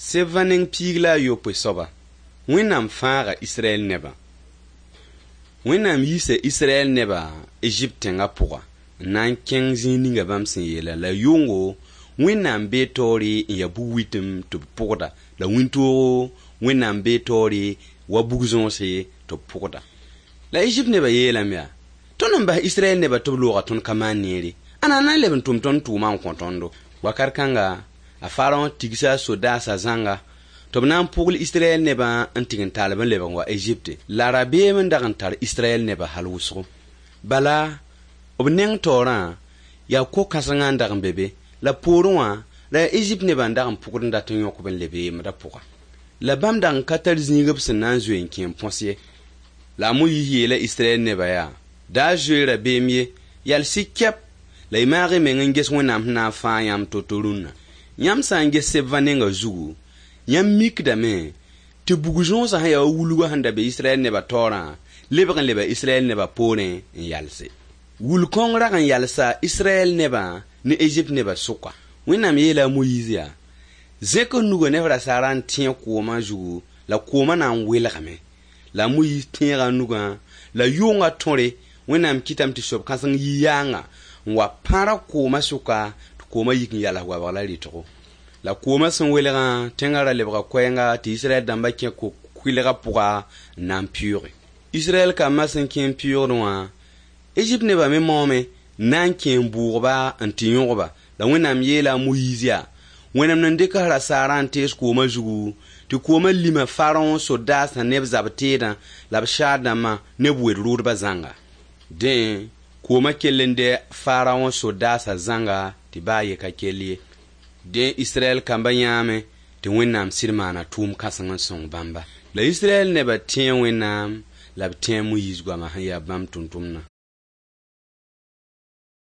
Sebã neng piig la a yopoe soaba, Wẽnnaam fãaga Israɛl nebã. Wẽnnaam yiisa Israɛl nebã Ezipt tẽngã pʋga n na n kẽng zĩig ninga bãmb sẽn yeelã. La yʋngo Wẽnnaam bee taoore n ya bug-wɩtem tɩ b pʋgda, la wĩntoogo Wẽnnaam bee taoore wa bug-zõose tɩ b pʋgda. La Ezipt nebã yeelame yaa: Tõnd n bas Israɛl nebã tɩ b looga tõnd ka maan neere, ãnna n na n leb n tʋm tõnd tʋʋmã n kõ tõndo? Wakat kãnga, a Faraõ tigsa a sodaasã zãnga tɩ b na n pʋgl Israɛl nebã n tɩg n tall-b n lebg n wa Ezipte. La rabeem n dag n tar Israɛl nebã hal wʋsgo. Bala, b neng taoorã yaa ko-kãsengã n dag n be be, la poorẽ wã la yaa Ezipt nebã n dag n pʋgd n dat n yõk-b n lebe yembdã pʋga. La bãmb dag n ka tar zĩig b sẽn na n zoe n kẽ n põs ye. La a Moyiis yeela Israɛl nebã yaa: Da zoe rabeem ye, yals-y kɛp la y maag y meng n ges Wẽnnaam sẽn na n fãag yãmb to-to rũnna. Yãmb sã n ges sebvã nenga zugu, yãmb mikdame tɩ bug-zõosã sẽn yaa wa wulgã sẽn da be Israɛl nebã taoorã lebg n leba Israɛl nebã poorẽ n yalse. Wul-kõng rag n yalsa Israɛl nebã ne Ezipt nebã sʋka. Wẽnnaam yeela a Moyiis yaa: Zẽk f nugã ne f rasaarã n tẽeg koomã zugu, la koomã na n welgame. La a Moyiis tẽega a nugã, la yʋngã tõre Wẽnnaam kɩtame tɩ soab-kãseng yi yaanga n wa pãrg koomã sʋka tɩ koomã yik n yals goabg la rɩtgo. La koomã sẽn welgã, tẽngã ra lebga koɛɛnga tɩ Israɛl dãmbã kẽ ko-kʋɩlgã pʋga n na n pɩʋʋge. Israɛl kambã sẽn kẽ n pɩʋʋgdẽ wã, Ezipt nebã me maoome n na n kẽ n bʋʋgba n tɩ yõgba. La Wẽnnaam yeela a Moyiis yaa: Wẽnnaam n dɩk rasaarã n tees koomã zugu, tɩ koomã lima Faraõ sodaasã ne b zab-teedã la b saar-dãmbã ne b wed-rʋʋdbã zãnga. Dẽ, koomã kell n dɛ Faraõ sodaasã zãnga tɩ baa ye ka kell ye. Dẽ Israɛl kambã yãame tɩ Wẽnnaam sɩd maana tʋʋm kãseng n sõng bãmba. La Israɛl nebã tẽe Wẽnnaam la b tẽe a Moyiis goama sẽn yaa bãmb tʋm-tʋmdã.